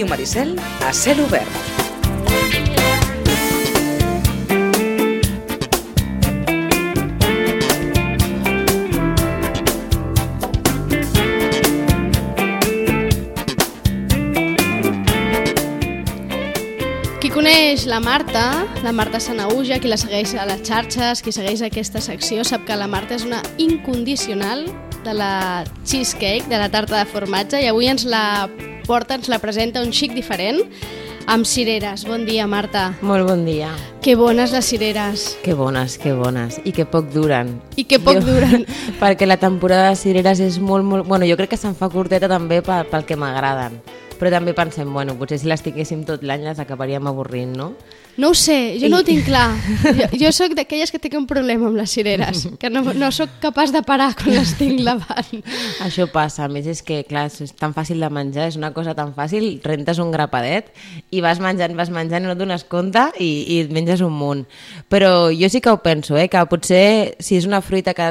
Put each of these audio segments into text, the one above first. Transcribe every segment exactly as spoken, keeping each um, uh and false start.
Ràdio Maricel a cel obert. Qui coneix la Marta, la Marta Sanaüja, qui la segueix a les xarxes, qui segueix aquesta secció, sap que la Marta és una incondicional de la cheesecake, de la tarta de formatge, i avui ens la porta, ens la presenta un xic diferent, amb cireres. Bon dia, Marta. Molt bon dia. Que bones les cireres. Que bones, que bones. I que poc duren. I que poc jo, duren. Perquè la temporada de cireres és molt, molt... Bueno, jo crec que se'n fa curteta també pel, pel que m'agraden. Però també pensem, bueno, potser si les tinguéssim tot l'any les acabaríem avorrint, no? No ho sé, jo I... no ho tinc clar. Jo, jo sóc d'aquelles que tinc un problema amb les cireres, que no, no sóc capaç de parar quan les tinc davant. Això passa, a més és que, clar, és tan fàcil de menjar, és una cosa tan fàcil, rentes un grapadet i vas menjant, vas menjant i no et dones compte i, i et menges un munt. Però jo sí que ho penso, eh, que potser si és una fruita que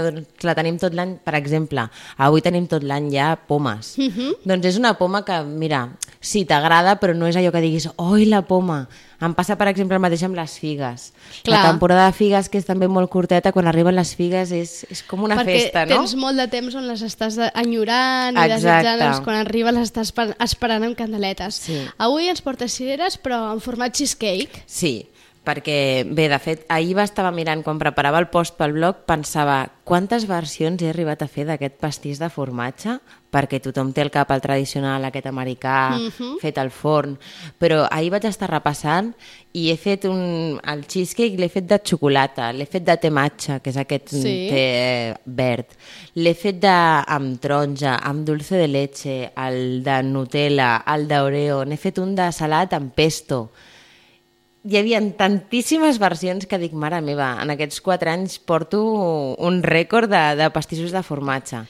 la tenim tot l'any, per exemple, avui tenim tot l'any ja pomes, uh-huh. doncs és una poma que, mira, sí, t'agrada, però no és allò que diguis, oi, la poma. Em passa, per exemple, el mateix amb les figues. Clar. La temporada de figues, que és també molt curteta, quan arriben les figues és, és com una Perquè festa, no? Perquè tens molt de temps on les estàs enyorant i desitjant, doncs, quan arriba les estàs esperant amb candeletes. Sí. Avui ens portes cireres, però en format cheesecake. Sí, perquè, bé, de fet, ahir va estava mirant, quan preparava el post pel blog, pensava quantes versions he arribat a fer d'aquest pastís de formatge, perquè tothom té el cap al tradicional, aquest americà, uh-huh. fet al forn, però ahir vaig estar repassant i he fet un... el cheesecake l'he fet de xocolata, l'he fet de té matxa, que és aquest sí. té verd, l'he fet de... amb taronja, amb dulce de leche, el de Nutella, el d'Oreo, n'he fet un de salat amb pesto. Hi havia tantíssimes versions que dic, mare meva, en aquests quatre anys porto un rècord de, de pastissos de formatge.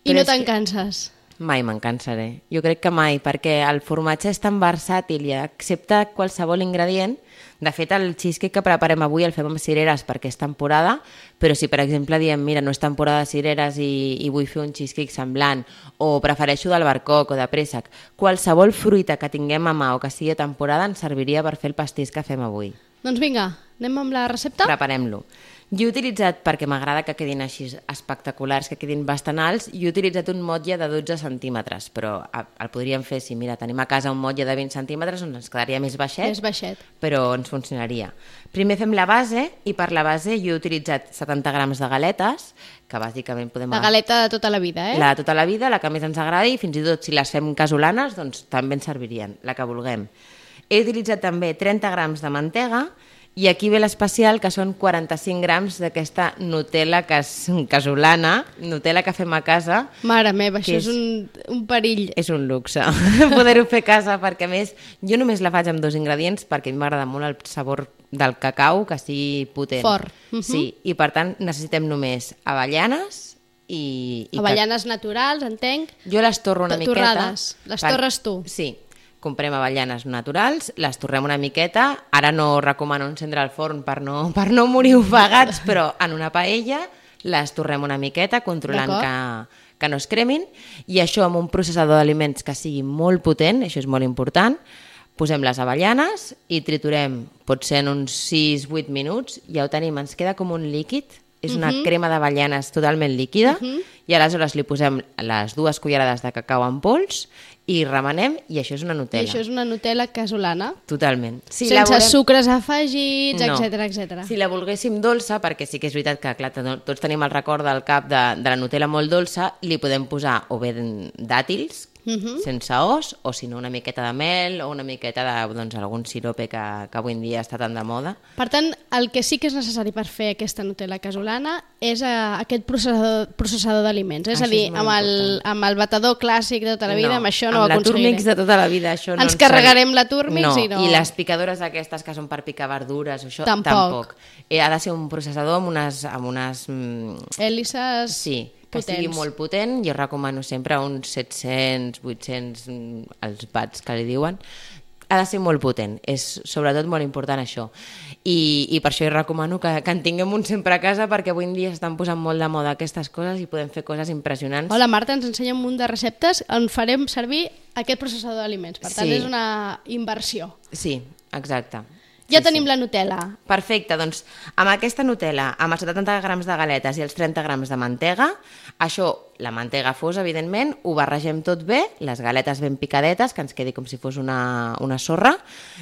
I Però no te'n canses? Mai me'n cansaré. Jo crec que mai, perquè el formatge és tan versàtil i accepta qualsevol ingredient. De fet, el cheesecake que preparem avui el fem amb cireres perquè és temporada, però si, per exemple, diem, mira, no és temporada de cireres i, i vull fer un cheesecake semblant, o prefereixo d'albercoc o de préssec, qualsevol fruita que tinguem a mà o que sigui de temporada ens serviria per fer el pastís que fem avui. Doncs vinga, anem amb la recepta? Preparem-lo. Jo he utilitzat, perquè m'agrada que quedin així espectaculars, que quedin bastant alts, i he utilitzat un motlle de dotze centímetres, però el podríem fer, si mira, tenim a casa un motlle de vint centímetres, doncs ens quedaria més baixet, més baixet, però ens funcionaria. Primer fem la base, i per la base jo he utilitzat setanta grams de galetes, que bàsicament podem... La galeta de tota la vida, eh? La de tota la vida, la que més ens agradi, i fins i tot si les fem casolanes, doncs també ens servirien, la que vulguem. He utilitzat també trenta grams de mantega, i aquí ve l'especial, que són quaranta-cinc grams d'aquesta Nutella casolana, Nutella que fem a casa. Mare meva, això és, és un, un perill. És un luxe poder-ho fer a casa, perquè a més jo només la faig amb dos ingredients, perquè a mi m'agrada molt el sabor del cacau, que sigui potent. Fort. Uh-huh. Sí, i per tant necessitem només avellanes i... i avellanes ca... naturals, entenc. Jo les torro una miqueta. Torrades, les per... torres tu. Sí. Comprem avellanes naturals, les torrem una miqueta, ara no recomano encendre el forn per no, per no morir ofegats, però en una paella les torrem una miqueta, controlant que, que no es cremin, i això amb un processador d'aliments que sigui molt potent, això és molt important, posem les avellanes i triturem, potser en uns sis vuit minuts, ja ho tenim, ens queda com un líquid, és una uh-huh. crema d'avellanes totalment líquida, uh-huh. i aleshores li posem les dues cullerades de cacau en pols i remenem, i això és una Nutella. I això és una Nutella casolana. Totalment. Si Sense la volem... sucres afegits, no. etcètera, etcètera. Si la volguéssim dolça, perquè sí que és veritat que clar, tots tenim el record del cap de, de la Nutella molt dolça, li podem posar o bé dàtils, uh-huh. sense os, o si no una miqueta de mel o una miqueta de doncs, algun sirope que, que avui en dia està tan de moda. Per tant, el que sí que és necessari per fer aquesta Nutella casolana és uh, aquest processador, processador d'aliments. És això a dir, és amb, el, amb el batedor clàssic de tota la vida, no, amb això no ho aconseguirem. Amb la Turmix de tota la vida, això no ens carregarem la Turmix no. i no... I les picadores aquestes que són per picar verdures, això tampoc. tampoc. Eh, ha de ser un processador amb unes... Amb unes mm, hèlices... Sí, que potents. Sigui molt potent. Jo recomano sempre uns set-cents, vuit-cents, els watts que li diuen. ha de ser molt potent, és sobretot molt important això. I, i per això jo recomano que, que en tinguem un sempre a casa, perquè avui en dia estan posant molt de moda aquestes coses i podem fer coses impressionants. Hola, Marta ens ensenya un munt de receptes on farem servir aquest processador d'aliments. Per tant, sí. És una inversió. Sí, exacte. Ja sí, tenim sí. la Nutella. Perfecte, doncs amb aquesta Nutella, amb els setanta grams de galetes i els trenta grams de mantega, això, la mantega fos, evidentment, ho barregem tot bé, les galetes ben picadetes, que ens quedi com si fos una, una sorra,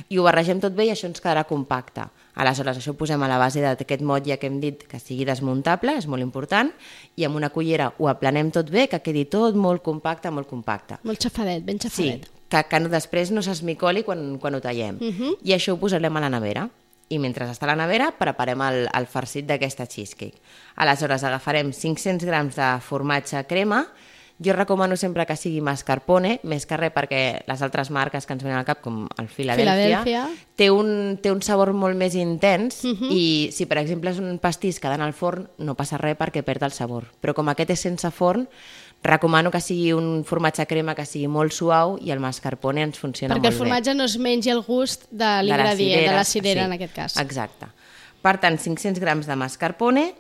i ho barregem tot bé i això ens quedarà compacte. Aleshores, això ho posem a la base d'aquest motlle que hem dit que sigui desmuntable, és molt important, i amb una cullera ho aplanem tot bé, que quedi tot molt compacte, molt compacte. Molt xafadet, ben xafadet. Sí, que, que no, després no s'esmicoli quan, quan ho tallem. Uh -huh. I això ho posarem a la nevera. I mentre està a la nevera preparem el, el farcit d'aquesta cheesecake. Aleshores agafarem cinc-cents grams de formatge crema. Jo recomano sempre que sigui mascarpone, més que res perquè les altres marques que ens venen al cap, com el Philadelphia, Philadelphia. Té, un, té un sabor molt més intens Uh-huh. i si per exemple és un pastís que ha d'anar al forn no passa res perquè perd el sabor. Però com aquest és sense forn, recomano que sigui un formatge crema que sigui molt suau i el mascarpone ens funciona Perquè molt bé. el formatge no es mengi el gust de l'ingredient, de la cirera, sí, en aquest cas. Exacte. Per tant, cinc-cents grams de mascarpone,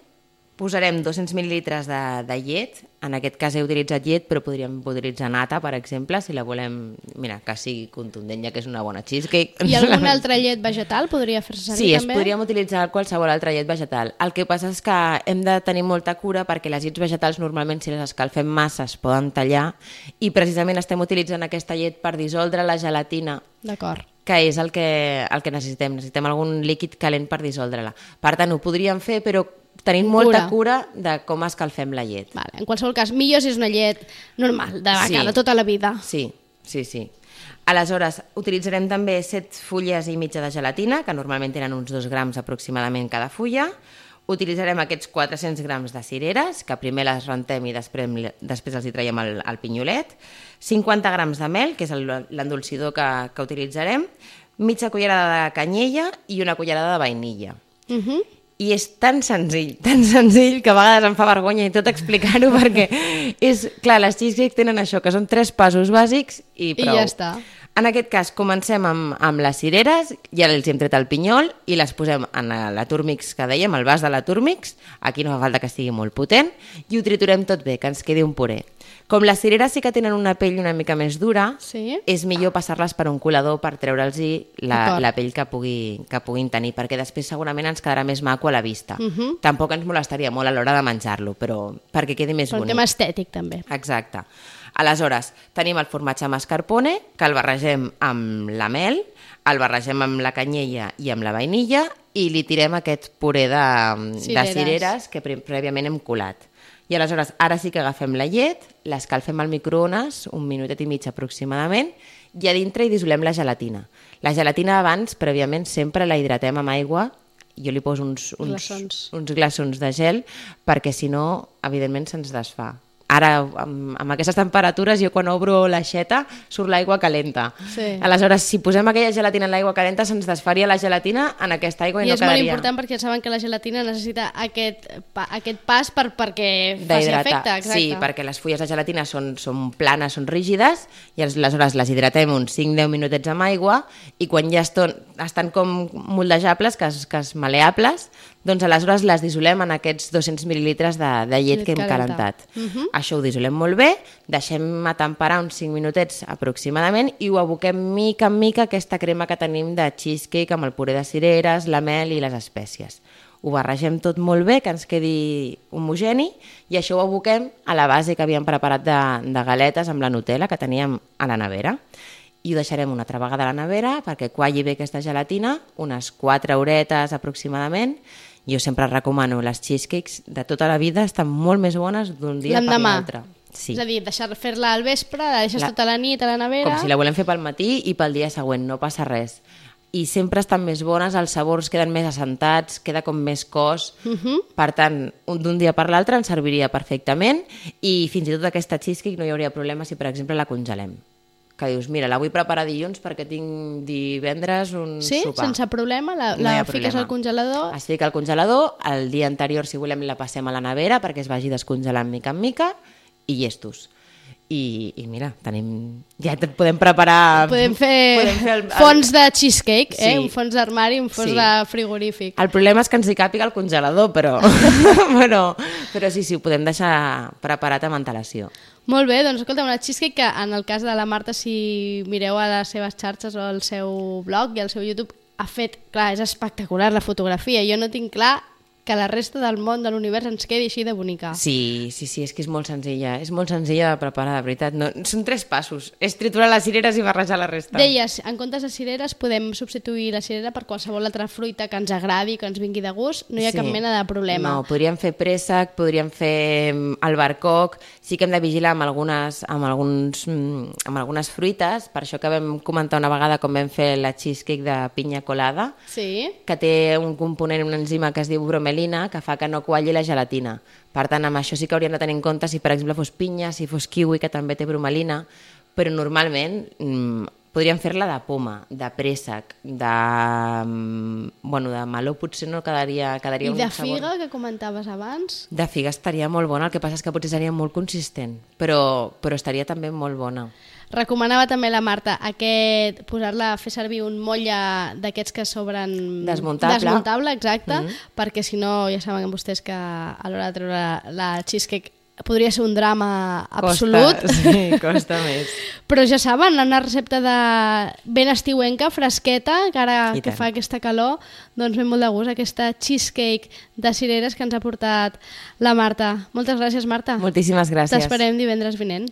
posarem dos-cents mil·lilitres de, de llet, en aquest cas he utilitzat llet, però podríem utilitzar nata, per exemple, si la volem, mira, que sigui contundent, ja que és una bona cheesecake. I alguna altra llet vegetal podria fer-se servir sí, també? Sí, podríem utilitzar qualsevol altra llet vegetal. El que passa és que hem de tenir molta cura perquè les llets vegetals normalment si les escalfem massa es poden tallar i precisament estem utilitzant aquesta llet per dissoldre la gelatina. D'acord. Que és el que, el que necessitem. Necessitem algun líquid calent per dissoldre-la. Per tant, ho podríem fer, però tenim molta cura de com escalfem la llet. Vale. En qualsevol cas, millor si és una llet normal, de vaca, sí. de tota la vida. Sí, sí, sí. Aleshores, utilitzarem també set fulles i mitja de gelatina, que normalment tenen uns dos grams aproximadament cada fulla. Utilitzarem aquests quatre-cents grams de cireres, que primer les rentem i després, després els hi traiem el, el pinyolet. cinquanta grams de mel, que és l'endolcidor que, que utilitzarem. Mitja cullerada de canyella i una cullerada de vainilla. Uh -huh. I és tan senzill, tan senzill, que a vegades em fa vergonya i tot explicar-ho, perquè és, clar, les cheesecakes tenen això, que són tres passos bàsics i prou. I ja està. En aquest cas, comencem amb, amb les cireres, ja els hem tret el pinyol i les posem en la Turmix que dèiem, el vas de la Turmix, aquí no fa falta que estigui molt potent, i ho triturem tot bé, que ens quedi un puré. Com les cireres sí que tenen una pell una mica més dura, sí. és millor passar-les per un colador per treure'ls la, la pell que, pugui, que puguin tenir, perquè després segurament ens quedarà més maco a la vista. Uh -huh. Tampoc ens molestaria molt a l'hora de menjar-lo, però perquè quedi més per bonic. Un tema estètic, també. Exacte. Aleshores, tenim el formatge mascarpone, que el barregem amb la mel, el barregem amb la canyella i amb la vainilla i li tirem aquest puré de cireres, de cireres que prèviament hem colat. I aleshores, ara sí que agafem la llet, l'escalfem al microones, un minutet i mig aproximadament, i a dintre hi dissolem la gelatina. La gelatina abans, prèviament, sempre la hidratem amb aigua, jo li poso uns, uns, glaçons. uns glaçons de gel, perquè si no, evidentment, se'ns desfà. Ara, amb, amb aquestes temperatures, jo quan obro l'aixeta surt l'aigua calenta. Sí. Aleshores, si posem aquella gelatina en l'aigua calenta, se'ns desfaria la gelatina en aquesta aigua i, I no quedaria. I és molt important perquè saben que la gelatina necessita aquest, pa, aquest pas per, perquè faci efecte. Exacte. Sí, perquè les fulles de gelatina són, són planes, són rígides, i aleshores les hidratem uns cinc a deu minutets amb aigua, i quan ja eston, estan com moldejables, que es, que es maleables, doncs aleshores les dissolem en aquests dos-cents mil·lilitres de, de llet, llet que hem calentat. Uh -huh. Això ho dissolem molt bé, deixem a temperar uns cinc minutets aproximadament i ho aboquem mica en mica aquesta crema que tenim de cheesecake amb el puré de cireres, la mel i les espècies. Ho barregem tot molt bé, que ens quedi homogeni, i això ho aboquem a la base que havíem preparat de, de galetes amb la Nutella que teníem a la nevera. I ho deixarem una altra vegada a la nevera perquè qualli bé aquesta gelatina, unes quatre horetes aproximadament. Jo sempre recomano les cheesecakes de tota la vida, estan molt més bones d'un dia per l'altre. Sí. És a dir, deixar fer-la al vespre, la deixes la... tota la nit a la nevera... Com si la volem fer pel matí i pel dia següent, no passa res. I sempre estan més bones, els sabors queden més assentats, queda com més cos. Uh -huh. Per tant, d'un dia per l'altre ens serviria perfectament i fins i tot aquesta cheesecake no hi hauria problema si, per exemple, la congelem. Que dius, mira, la vull preparar dilluns perquè tinc divendres un sí? sopar. Sí, sense problema? La, no la fiques problema. Al congelador? Es fica al congelador, el dia anterior, si volem, la passem a la nevera perquè es vagi descongelant mica en mica i llestos. i, i mira, tenim, ja te podem preparar... Podem fer, podem fer el, el... fons de cheesecake, eh? Sí. Un fons d'armari, un fons Sí. de frigorífic. El problema és que ens hi càpiga el congelador, però, però, però sí, sí, ho podem deixar preparat amb antelació. Molt bé, doncs escolta, una cheesecake que en el cas de la Marta, si mireu a les seves xarxes o al seu blog i al seu YouTube, ha fet, clar, és espectacular la fotografia. Jo no tinc clar que la resta del món, de l'univers, ens quedi així de bonica. Sí, sí, sí, és que és molt senzilla, és molt senzilla de preparar, de veritat. No, són tres passos, és triturar les cireres i barrejar la resta. Deies, en comptes de cireres podem substituir la cirera per qualsevol altra fruita que ens agradi, que ens vingui de gust, no hi ha Sí. cap mena de problema. No, podríem fer préssec, podríem fer mm, albercoc, sí que hem de vigilar amb algunes, amb, alguns, mm, amb algunes fruites, per això que vam comentar una vegada com vam fer la cheesecake de pinya colada, Sí? que té un component, una enzima que es diu bromelina, que fa que no qualli la gelatina. Per tant, amb això sí que hauríem de tenir en compte si, per exemple, fos pinya, si fos kiwi, que també té bromelina, però normalment mmm, podríem fer-la de poma, de préssec, de, mm, bueno, de meló potser no quedaria, quedaria I un de sabor. figa, que comentaves abans? De figa estaria molt bona, el que passa és que potser seria molt consistent, però, però estaria també molt bona. Recomanava també la Marta aquest, posar-la, fer servir un motlle d'aquests que sobren... Desmuntable. Desmuntable, exacte, Mhm. perquè si no, ja saben vostès que a l'hora de treure la, la cheesecake podria ser un drama absolut. Costa, sí, costa més. Però ja saben, una recepta de ben estiuenca, fresqueta, que ara I que tant. fa aquesta calor, doncs ve molt de gust aquesta cheesecake de cireres que ens ha portat la Marta. Moltes gràcies, Marta. Moltíssimes gràcies. T'esperem divendres vinent.